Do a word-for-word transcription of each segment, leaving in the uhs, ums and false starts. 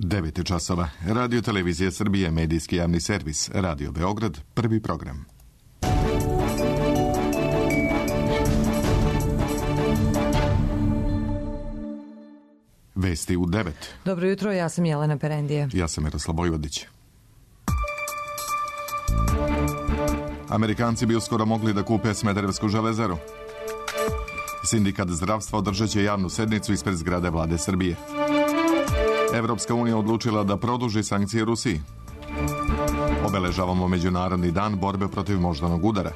devet je časova. Radio Televizija Srbije, medijski javni servis. Radio Beograd, prvi program. Vesti u devet. Dobro jutro, ja sam Jelena Perendije. Ja sam Miroslav Bojvodić. Amerikanci bi uskoro mogli da kupe Smederevsku železaru. Sindikat zdravstva održat će javnu sednicu ispred zgrade vlade Srbije. Evropska unija odlučila da produži sankcije Rusiji. Obeležavamo Međunarodni dan borbe protiv moždanog udara.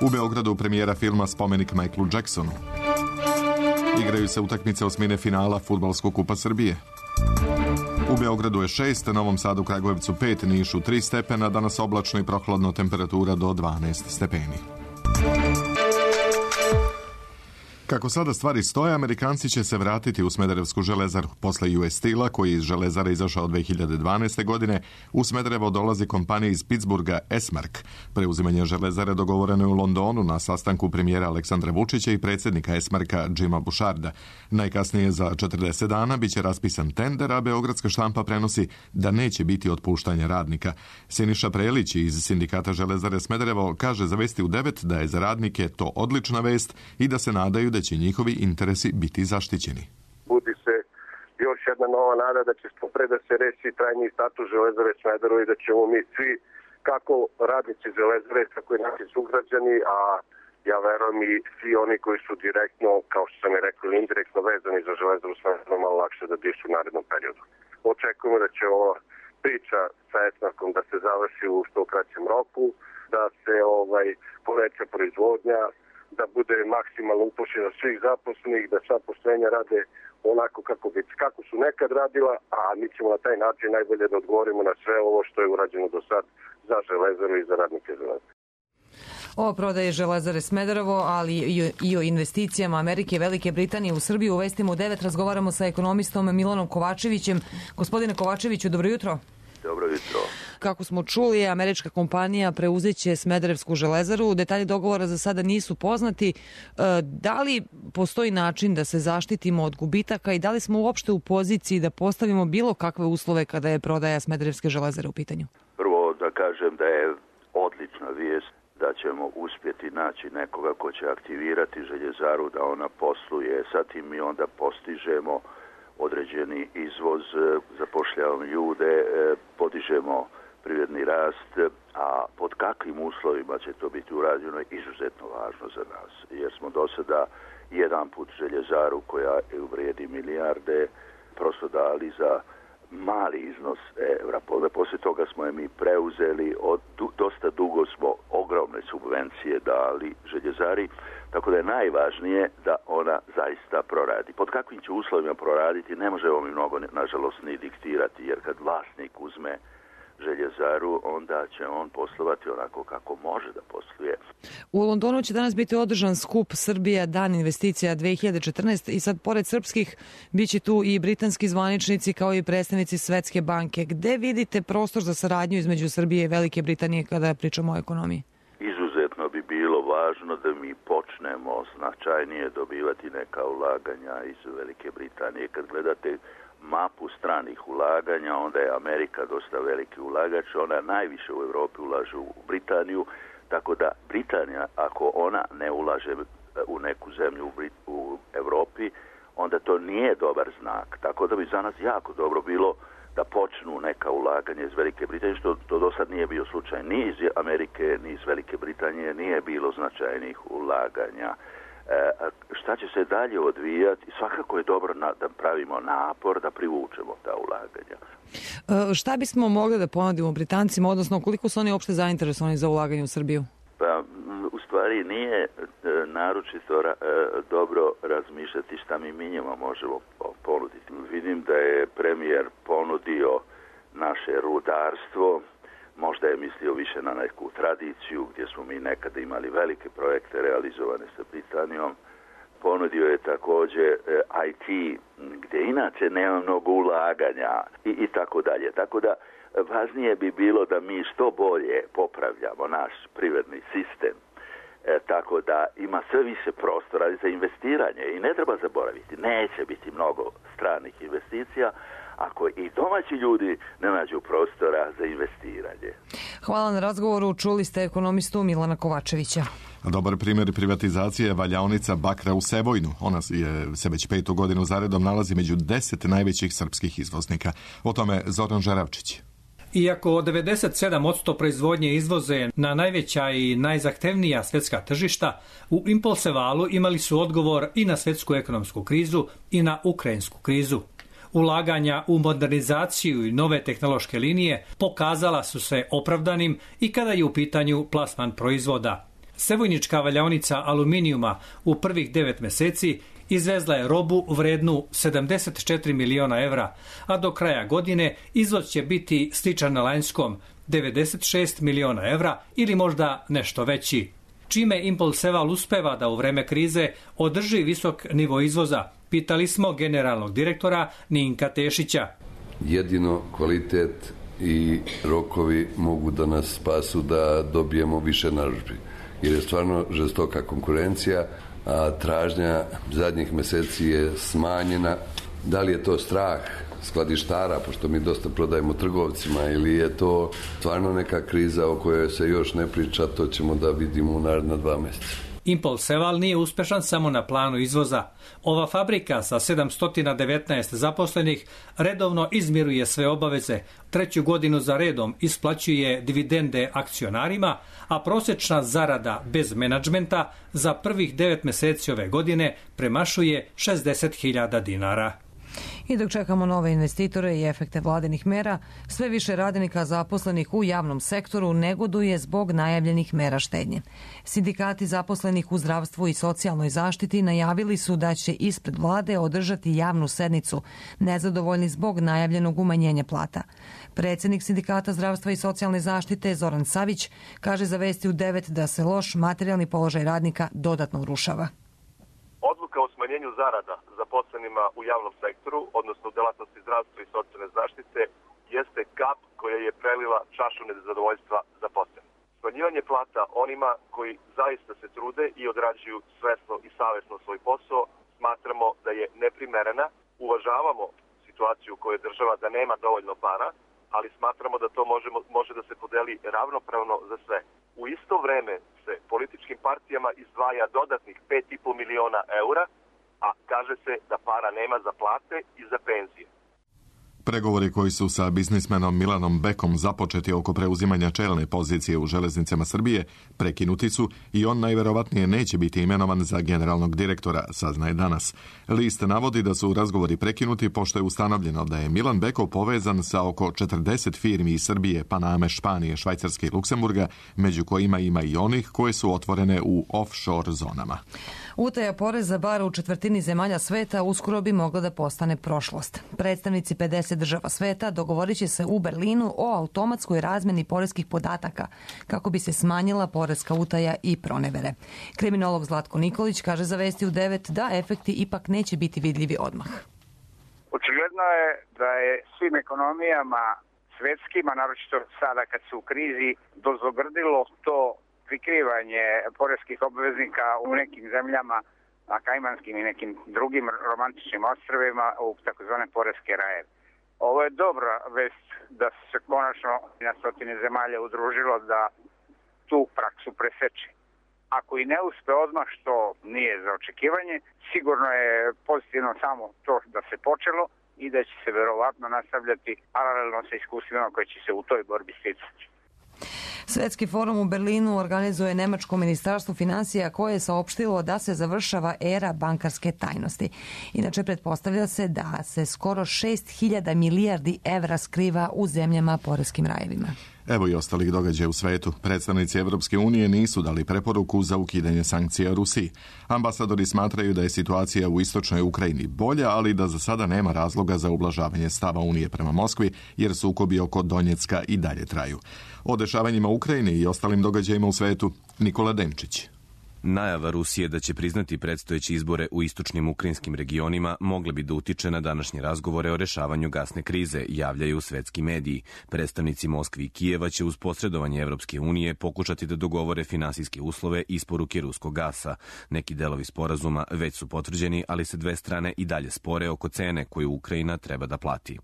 U Beogradu premijera filma Spomenik Michaelu Jacksonu. Igraju se utakmice osmine finala Fudbalskog kupa Srbije. U Beogradu je šest, Novom Sadu, Kragujevcu pet, Nišu tri stepena, danas oblačno i prohladno, temperatura do dvanaest stepeni. Kako sada stvari stoje, Amerikanci će se vratiti u Smederevsku železaru. Posle U S Steel-a, koji je iz železare izašao dve hiljade dvanaeste. godine, u Smederevo dolazi kompanija iz Pittsburgha Esmark. Preuzimanje železare dogovoreno je u Londonu na sastanku premijera Aleksandra Vučića i predsjednika Esmarka Jima Boucharda. Najkasnije za četrdeset dana biće raspisan tender, a beogradska štampa prenosi da neće biti otpuštanja radnika. Siniša Prelić iz Sindikata železare Smederevo kaže za Vesti u devet da je za radnike to odlična vest i da se nadaju da će njihovi interesi biti zaštićeni. Budi se još jedna nova nada da će što pre da se reši trajni status železare Smederevo i da ćemo mi svi, kako radnici železare, tako i naši sugrađani, a ja verujem i svi oni koji su direktno, kao što sam je rekao, indirektno vezani za železaru Smederevo, malo lakše da dišu u narednom periodu. Očekujemo da će ova priča sa Esmarkom da se završi u što kraćem roku, da se ovaj poveća proizvodnja, da bude maksimalno upošljeno svih zaposlenih, da sva postrojenja rade onako kako, bi, kako su nekad radila, a mi ćemo na taj način najbolje da odgovorimo na sve ovo što je urađeno do sad za železaru i za radnike železare. O prodaje železare Smederevo, ali i o investicijama Amerike i Velike Britanije u Srbiju. U Vestima u devet razgovaramo sa ekonomistom Milanom Kovačevićem. Gospodine Kovačeviću, dobro jutro. Dobro jutro. Kako smo čuli, američka kompanija preuzeće Smederevsku železaru. Detalji dogovora za sada nisu poznati. Da li postoji način da se zaštitimo od gubitaka i da li smo uopšte u poziciji da postavimo bilo kakve uslove kada je prodaja Smederevske železare u pitanju? Prvo da kažem da je odlična vijest da ćemo uspjeti naći nekoga ko će aktivirati željezaru da ona posluje. Sa tim mi onda postižemo određeni izvoz, zapošljavamo ljude, podižemo privredni rast, a pod kakvim uslovima će to biti urađeno je izuzetno važno za nas. Jer smo do sada jedan put željezaru koja vrijedi milijarde prosto dali za mali iznos evra. Poslije toga smo je mi preuzeli, od, dosta dugo smo ogromne subvencije dali željezari, tako da je najvažnije da ona zaista proradi. Pod kakvim će uslovima proraditi ne možemo mi mnogo, nažalost, ni diktirati, jer kad vlasnik uzme željezaru, onda će on poslovati onako kako može da posluje. U Londonu će danas biti održan skup Srbija Dan investicija dve hiljade četrnaeste. i sad pored srpskih bit će tu i britanski zvaničnici kao i predstavnici Svetske banke. Gde vidite prostor za saradnju između Srbije i Velike Britanije kada pričamo o ekonomiji? Izuzetno bi bilo važno da mi počnemo značajnije dobivati neka ulaganja iz Velike Britanije. Kad gledate mapu stranih ulaganja, onda je Amerika dosta veliki ulagač, ona najviše u Europi ulaže u Britaniju, tako da Britanija, ako ona ne ulaže u neku zemlju u, Brit- u Europi, onda to nije dobar znak. Tako da bi za nas jako dobro bilo da počnu neka ulaganja iz Velike Britanije, što to do sad nije bio slučaj. Ni iz Amerike, ni iz Velike Britanije nije bilo značajnih ulaganja. E, šta će se dalje odvijati? Svakako je dobro na, da pravimo napor da privučemo ta ulaganja. E, šta bismo mogli da ponudimo Britancima, odnosno koliko su oni uopšte zainteresovani za ulaganje u Srbiju? Pa, u stvari nije e, naročito ra, e, dobro razmišljati šta mi mi njima možemo ponuditi. Vidim da je premijer ponudio naše rudarstvo, možda je mislio više na neku tradiciju gdje smo mi nekada imali velike projekte realizovane sa Britanijom. Ponudio je također I T gdje inače nema mnogo ulaganja i, i tako dalje. Tako da važnije bi bilo da mi što bolje popravljamo naš privredni sistem. E, tako da ima sve više prostora za investiranje i ne treba zaboraviti, neće biti mnogo stranih investicija, ako i domaći ljudi ne nađu prostora za investiranje. Hvala na razgovoru. Čuli ste ekonomistu Milana Kovačevića. Dobar primjer privatizacije je valjaonica bakra u Sevojnu. Ona je, se već petu godinu zaredom nalazi među deset najvećih srpskih izvoznika. O tome Zoran Žeravčić. Iako devedeset sedam posto proizvodnje izvoze na najveća i najzahtevnija svjetska tržišta, u Impolsevalu imali su odgovor i na svjetsku ekonomsku krizu i na ukrajinsku krizu. Ulaganja u modernizaciju i nove tehnološke linije pokazala su se opravdanim i kada je u pitanju plasman proizvoda. Sevojnička valjaonica aluminijuma u prvih devet mjeseci izvezla je robu vrednu sedamdeset četiri miliona evra, a do kraja godine izvoz će biti sličan na lanjskom, devedeset šest miliona evra ili možda nešto veći. Čime Impolseval uspeva da u vreme krize održi visok nivo izvoza, pitali smo generalnog direktora Ninka Tešića. Jedino kvalitet i rokovi mogu da nas spasu da dobijemo više narudžbi, jer je stvarno žestoka konkurencija, a tražnja zadnjih mjeseci je smanjena. Da li je to strah skladištara, pošto mi dosta prodajemo trgovcima, ili je to stvarno neka kriza o kojoj se još ne priča, to ćemo da vidimo u naredna dva mjeseca. Impolseval nije uspešan samo na planu izvoza. Ova fabrika sa sedamsto devetnaest zaposlenih redovno izmiruje sve obaveze, treću godinu za redom isplaćuje dividende akcionarima, a prosječna zarada bez menadžmenta za prvih devet mjeseci ove godine premašuje šezdeset hiljada dinara. I dok čekamo nove investitore i efekte vladinih mera, sve više radnika zaposlenih u javnom sektoru negoduje zbog najavljenih mera štednje. Sindikati zaposlenih u zdravstvu i socijalnoj zaštiti najavili su da će ispred vlade održati javnu sednicu, nezadovoljni zbog najavljenog umanjenja plata. Predsjednik Sindikata zdravstva i socijalne zaštite Zoran Savić kaže za Vesti u devet da se loš materijalni položaj radnika dodatno urušava. Odluka o smanjenju zarada zaposlenima u javnom sektoru, odnosno u delatnosti zdravstva i socijalne zaštite, jeste kap koja je prelila čašu nezadovoljstva zaposlenih. Smanjivanje plata onima koji zaista se trude i odrađuju svesno i savjesno svoj posao, smatramo da je neprimerena. Uvažavamo situaciju u kojoj država da nema dovoljno para, ali smatramo da to možemo, može da se podeli ravnopravno za sve. U isto vreme se političkim partijama izdvaja dodatnih pet i po miliona eura, a kaže se da para nema za plate i za penzije. Pregovori koji su sa biznismenom Milanom Bekom započeti oko preuzimanja čelne pozicije u železnicama Srbije prekinuti su i on najverovatnije neće biti imenovan za generalnog direktora, saznaje danas. List navodi da su razgovori prekinuti pošto je ustanovljeno da je Milan Beko povezan sa oko četrdeset firmi iz Srbije, Paname, Španije, Švajcarske i Luksemburga, među kojima ima i onih koje su otvorene u offshore zonama. Utaja poreza bar u četvrtini zemalja sveta uskoro bi mogla da postane prošlost. Predstavnici pedeset država sveta dogovorit će se u Berlinu o automatskoj razmeni poreskih podataka kako bi se smanjila poreska utaja i pronevere. Kriminolog Zlatko Nikolić kaže za Vesti u devet da efekti ipak neće biti vidljivi odmah. Očigledno je da je svim ekonomijama svjetskima, naročito sada kad su u krizi, dozogrdilo to prikrivanje poreskih obveznika u nekim zemljama, na Kajmanskim i nekim drugim romantičnim ostrvima, u takozvane poreske raje. Ovo je dobra vest da se konačno na stotine zemalja udružilo da tu praksu preseče. Ako i ne uspe odmah, što nije za očekivanje, sigurno je pozitivno samo to da se počelo i da će se verovatno nastavljati paralelno sa iskustvima koje će se u toj borbi sticati. Svetski forum u Berlinu organizuje nemačko ministarstvo finansija koje je saopštilo da se završava era bankarske tajnosti. Inače, pretpostavlja se da se skoro šest hiljada milijardi evra skriva u zemljama poreskim rajevima. Evo i ostalih događaja u svetu. Predstavnici Evropske unije nisu dali preporuku za ukidanje sankcija Rusiji. Ambasadori smatraju da je situacija u istočnoj Ukrajini bolja, ali da za sada nema razloga za ublažavanje stava Unije prema Moskvi, jer sukobi oko Donjecka i dalje traju. O dešavanjima u Ukrajini i ostalim događajima u svetu, Nikola Demčić. Najava Rusije da će priznati predstojeće izbore u istočnim ukrajinskim regionima mogle bi da utiče na današnje razgovore o rešavanju gasne krize, javljaju svetski mediji. Predstavnici Moskvi i Kijeva će uz posredovanje Evropske unije pokušati da dogovore finansijske uslove isporuke ruskog gasa. Neki delovi sporazuma već su potvrđeni, ali se dve strane i dalje spore oko cene koju Ukrajina treba da plati.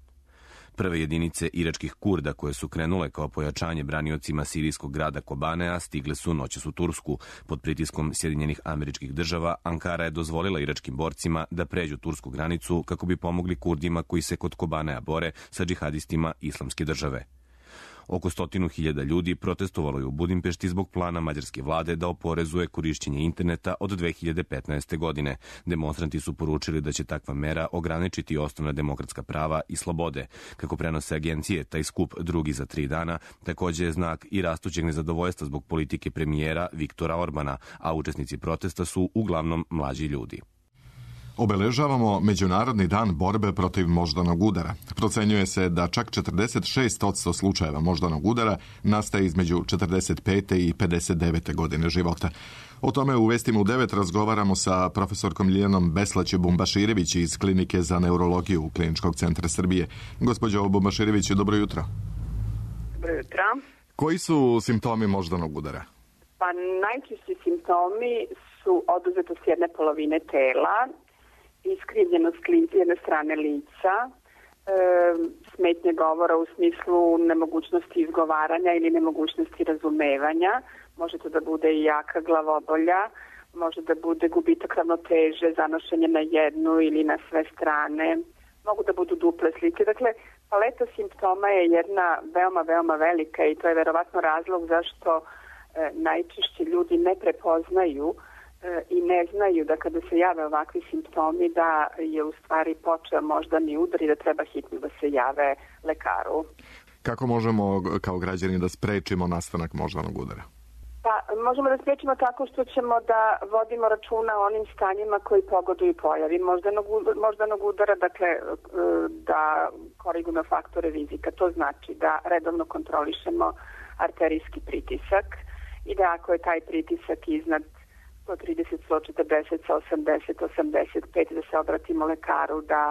Prve jedinice iračkih Kurda koje su krenule kao pojačanje braniocima sirijskog grada Kobanea stigle su noćas u Tursku. Pod pritiskom Sjedinjenih Američkih Država, Ankara je dozvolila iračkim borcima da pređu tursku granicu kako bi pomogli Kurdima koji se kod Kobanea bore sa džihadistima Islamske države. Oko stotinu hiljada ljudi protestovalo je u Budimpešti zbog plana mađarske vlade da oporezuje korišćenje interneta od dve hiljade petnaeste. godine. Demonstranti su poručili da će takva mera ograničiti osnovna demokratska prava i slobode. Kako prenose agencije, taj skup drugi za tri dana također je znak i rastućeg nezadovoljstva zbog politike premijera Viktora Orbana, a učesnici protesta su uglavnom mlađi ljudi. Obeležavamo Međunarodni dan borbe protiv moždanog udara. Procenjuje se da čak četrdeset šest posto slučajeva moždanog udara nastaje između četrdeset pete i pedeset devete godine života. O tome u Vestima u devet razgovaramo sa profesorkom Ljiljanom Beslać-Bumbaširević iz Klinike za neurologiju Kliničkog centra Srbije. Gospođo Bumbaširević, dobro jutro. Dobro jutro. Koji su simptomi moždanog udara? Pa najčešći simptomi su oduzetost jedne polovine tela, iskrivljenost s jedne strane lica, e, smetnje govora u smislu nemogućnosti izgovaranja ili nemogućnosti razumevanja. Može to da bude i jaka glavobolja, može da bude gubitak ravnoteže, zanošenje na jednu ili na sve strane, mogu da budu duple slike. Dakle, paleta simptoma je jedna veoma, veoma velika i to je verovatno razlog zašto e, najčešće ljudi ne prepoznaju i ne znaju da kada se jave ovakvi simptomi da je u stvari počeo moždani udar i da treba hitno da se jave lekaru. Kako možemo kao građani da sprečimo nastanak moždanog udara? Pa možemo da sprečimo tako što ćemo da vodimo računa o onim stanjima koji pogoduju pojavi moždanog, moždanog udara, dakle da korigujemo faktore rizika. To znači da redovno kontrolišemo arterijski pritisak i da ako je taj pritisak iznad sto trideset, sto četrdeset, osamdeset, osamdeset pet, da se obratimo lekaru, da,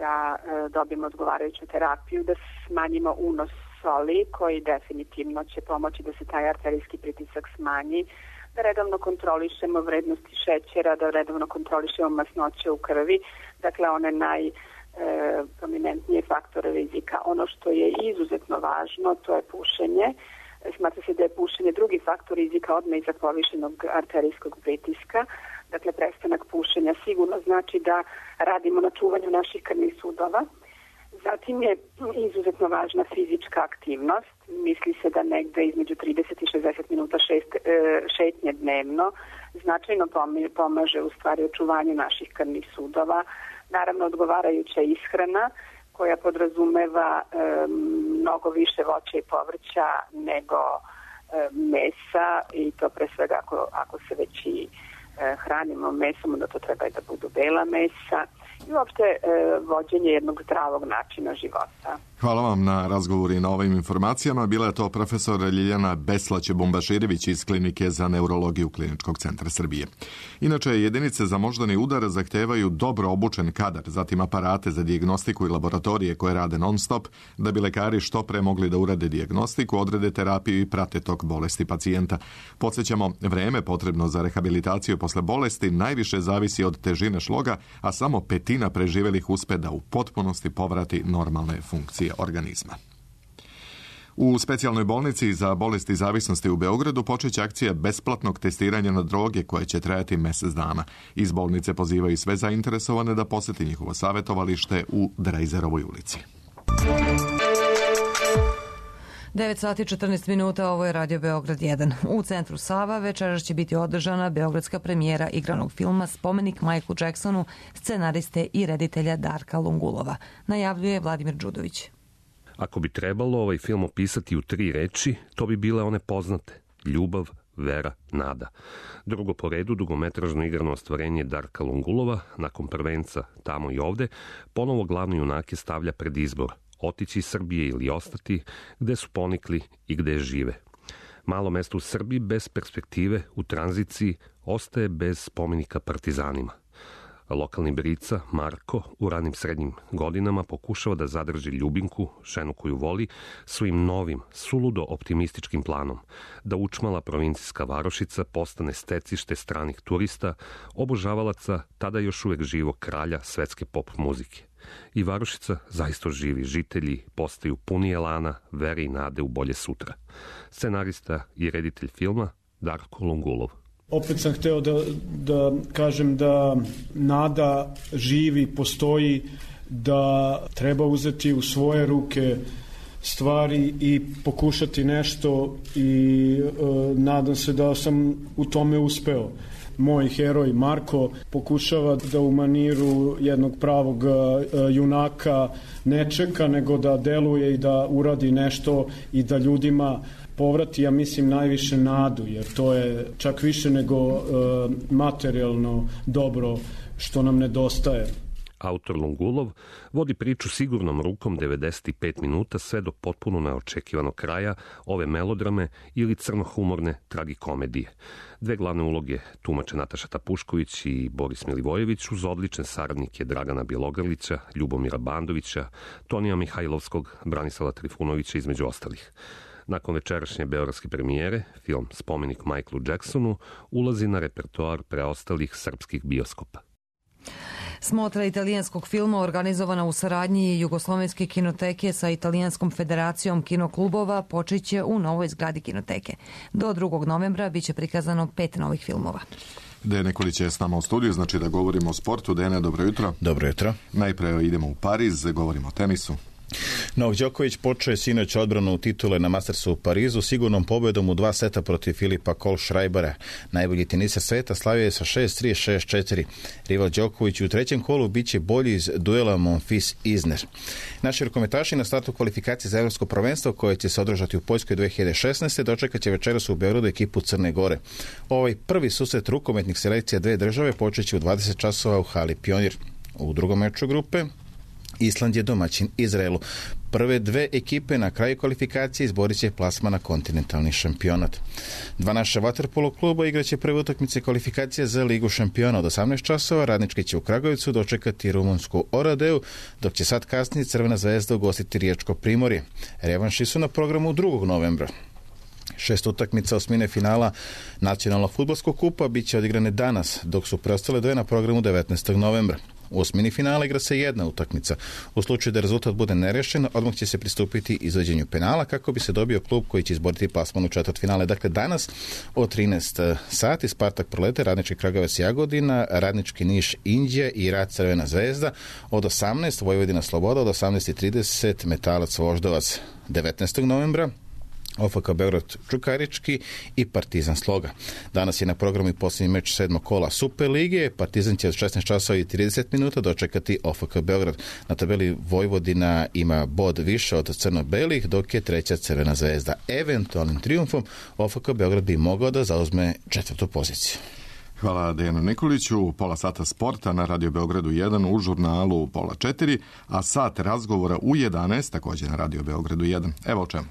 da e, dobijemo odgovarajuću terapiju, da smanjimo unos soli koji definitivno će pomoći da se taj arterijski pritisak smanji, da redovno kontrolišemo vrednosti šećera, da redovno kontrolišemo masnoće u krvi, dakle one najprominentnije faktore rizika. Ono što je izuzetno važno, to je pušenje. Smatra se da je pušenje drugi faktor rizika odmah iza povišenog arterijskog pritiska. Dakle, prestanak pušenja sigurno znači da radimo na čuvanju naših krvnih sudova. Zatim je izuzetno važna fizička aktivnost. Misli se da negde između trideset i šezdeset minuta šest, šetnje dnevno značajno pomaže u stvari očuvanju naših krvnih sudova. Naravno, odgovarajuća ishrana koja podrazumeva e, mnogo više voća i povrća nego e, mesa i to pre svega ako, ako se već i e, hranimo mesom, onda to treba i da budu bela mesa i uopšte e, vođenje jednog zdravog načina života. Hvala vam na razgovoru i na ovim informacijama. Bila je to profesor Ljiljana Beslać-Bumbaširević iz Klinike za neurologiju Kliničkog centra Srbije. Inače, jedinice za moždani udar zahtevaju dobro obučen kadar, zatim aparate za dijagnostiku i laboratorije koje rade non-stop, da bi lekari što pre mogli da urade dijagnostiku, odrede terapiju i prate tok bolesti pacijenta. Podsjećamo, vreme potrebno za rehabilitaciju posle bolesti najviše zavisi od težine šloga, a samo petina preživelih uspe da u potpunosti povrati normalne funkcije organizma. U specijalnoj bolnici za bolesti zavisnosti u Beogradu počeće akcija besplatnog testiranja na droge koje će trajati mjesec dana. Iz bolnice pozivaju sve zainteresovane da poseti njihovo savjetovalište u Drejzerovoj ulici. devet sati i četrnaest minuta, ovo je Radio Beograd jedan. U centru Sava večeras će biti održana beogradska premijera igranog filma Spomenik Michaelu Jacksonu, scenariste i reditelja Darka Lungulova. Najavljuje Vladimir Đudović. Ako bi trebalo ovaj film opisati u tri reči, to bi bile one poznate: ljubav, vera, nada. Drugo po redu, dugometražno igrano ostvarenje Darka Lungulova, nakon prvenca Tamo i ovde, ponovo glavni junake stavlja pred izbor: otići iz Srbije ili ostati, gde su ponikli i gde žive. Malo mesto u Srbiji bez perspektive, u tranziciji, ostaje bez spomenika partizanima. Lokalni brica, Marko, u ranim srednjim godinama pokušava da zadrži ljubinku, ženu koju voli, svojim novim, suludo optimističkim planom, da učmala provincijska varošica postane stecište stranih turista, obožavalaca tada još uvek živog kralja svetske pop muzike. I varošica zaista živi, žitelji postaju puni elana, vere i nade u bolje sutra. Scenarista i reditelj filma Darko Lungulov. Opet sam hteo da, da kažem da nada živi, postoji, da treba uzeti u svoje ruke stvari i pokušati nešto i e, nadam se da sam u tome uspeo. Moj heroj Marko pokušava da u maniru jednog pravog e, junaka ne čeka, nego da deluje i da uradi nešto i da ljudima povrati, ja mislim, najviše nadu, jer to je čak više nego e, materijalno dobro što nam nedostaje. Autor Lungulov vodi priču sigurnom rukom devedeset pet minuta sve do potpuno neočekivanog kraja ove melodrame ili crnohumorne tragikomedije. Dve glavne uloge tumače Nataša Tapušković i Boris Milivojević uz odlične saradnike Dragana Bjelogrlića, Ljubomira Bandovića, Tonija Mihajlovskog, Branislava Trifunovića između ostalih. Nakon večerašnje beogradske premijere, film Spomenik Michaelu Jacksonu ulazi na repertoar preostalih srpskih bioskopa. Smotra italijanskog filma organizovana u saradnji Jugoslovenske kinoteke sa Italijanskom federacijom kinoklubova počeće u novoj zgradi kinoteke. Do drugog novembra biće prikazano pet novih filmova. Dejan Nikolić je s nama u studiju, znači da govorimo o sportu. Dejane, dobro jutro. Dobro jutro. Najpre idemo u Pariz, govorimo o tenisu. Novak Đoković počeo je sinoć odbranu titule na Mastersu u Parizu sigurnom pobedom u dva seta protiv Filipa Kohlschreibera. Najbolji teniser sveta slavio je sa šest tri šest četiri. Rival Đoković u trećem kolu biće bolji iz duela Monfils-Isner. Naši rukometaši na startu kvalifikacije za evropsko prvenstvo koje će se održati u Poljskoj dve hiljade šesnaeste. dočekat će večeras u Beogradu ekipu Crne Gore. Ovaj prvi susret rukometnih selekcija dve države počeće u dvadeset časova u hali Pionir. U drugom meču grupe Island je domaćin Izraelu. Prve dve ekipe na kraju kvalifikacije izborit će plasma na kontinentalni šampionat. Dva naša vaterpolo kluba igraće prve utakmice kvalifikacije za Ligu šampiona od osamnaest časova. Radnički će u Kragujevcu dočekati rumunsku Oradeu, dok će sad kasnije Crvena zvezda ugostiti Riječko Primorje. Revanši su na programu drugog novembra. Šest utakmica osmine finala nacionalnog fudbalskog kupa bit će odigrane danas, dok su preostale dve na programu devetnaestog novembra. U osmini finala igra se jedna utakmica. U slučaju da rezultat bude nerešen, odmah će se pristupiti izvođenju penala kako bi se dobio klub koji će izboriti plasman u četvrtfinale. Dakle, danas od trinaest sati Spartak Prolete, Radnički Kragujevac Jagodina, Radnički Niš Inđija i Rad Crvena zvezda. Od osamnaest Vojvodina Sloboda, od osamnaest trideset Metalac Voždovac. devetnaestog novembra O F K Beograd Čukarički i Partizan Sloga. Danas je na programu i posljednji meč sedmog kola Super lige. Partizan će od šesnaest časova i trideset minuta dočekati O F K Beograd. Na tabeli Vojvodina ima bod više od crno-belih, dok je treća Crvena zvezda. Eventualnim trijumfom O F K Beograd bi mogao da zauzme četvrtu poziciju. Hvala Dejanu Nikoliću. Pola sata sporta na Radio Beogradu jedan, u žurnalu pola četiri, a sat razgovora u jedanaest također na Radio Beogradu jedan. Evo o čemu.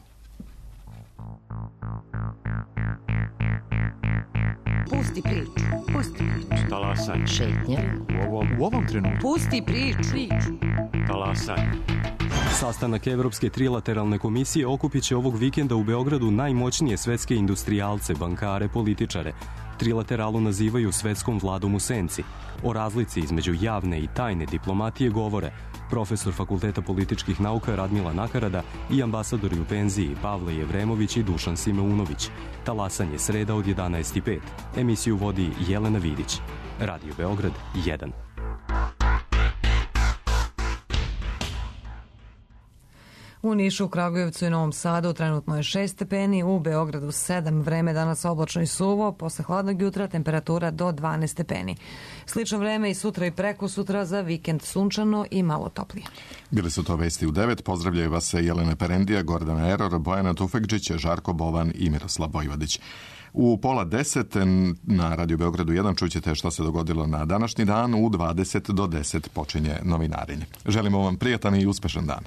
Pusti priču. Pusti priču. Talasaj. Šetnja. U ovom, u ovom trenutku. Pusti priču. Talasaj. Sastanak Evropske trilateralne komisije okupit će ovog vikenda u Beogradu najmoćnije svetske industrijalce, bankare, političare. Trilateralu nazivaju svetskom vladom u senci. O razlici između javne i tajne diplomatije govore profesor Fakulteta političkih nauka Radmila Nakarada i ambasadori u penziji Pavle Jevremović i Dušan Simeunović. Talasanje sreda od jedanaest i pet. Emisiju vodi Jelena Vidić. Radio Beograd jedan. U Nišu, Kragujevcu i Novom Sadu trenutno je šest stepeni, u Beogradu sedam, vreme danas oblačno i suvo, posle hladnog jutra temperatura do dvanaest stepeni. Slično vreme i sutra i preko sutra, za vikend sunčano i malo toplije. Bili su to vesti u devet, pozdravljaju vas Jelena Perendija, Gordana Eror, Bojana Tufekđić, Žarko Bovan i Miroslav Vojvodić. U pola deset na Radio Beogradu jedan čućete što se dogodilo na današnji dan, u dvadeset do deset počinje novinarenje. Želimo vam prijatan i uspešan dan.